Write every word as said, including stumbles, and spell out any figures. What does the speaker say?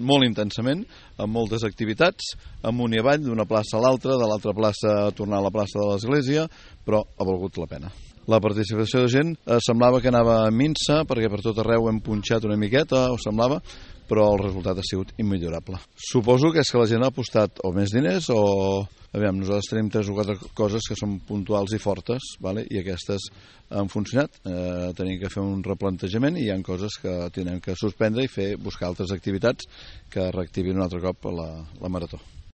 molt intensament, amb moltes activitats, amunt i avall, d'una plaça a l'altra, de l'altra plaça a tornar a la plaça de l'església, però ha valgut la pena. La participació de gent eh, semblava que anava a minsa, perquè per tot arreu hem punxat una miqueta, o semblava, però el resultat ha sigut immillorable. Suposo que és que la gent ha apostat o més diners o... Aviam, nosaltres tenim tres o quatre coses que són puntuals i fortes, vale? I aquestes han funcionat. Eh, tenim que fer un replantejament i hi ha coses que tenen que suspendre i fer buscar altres activitats que reactivin un altre cop la, la marató.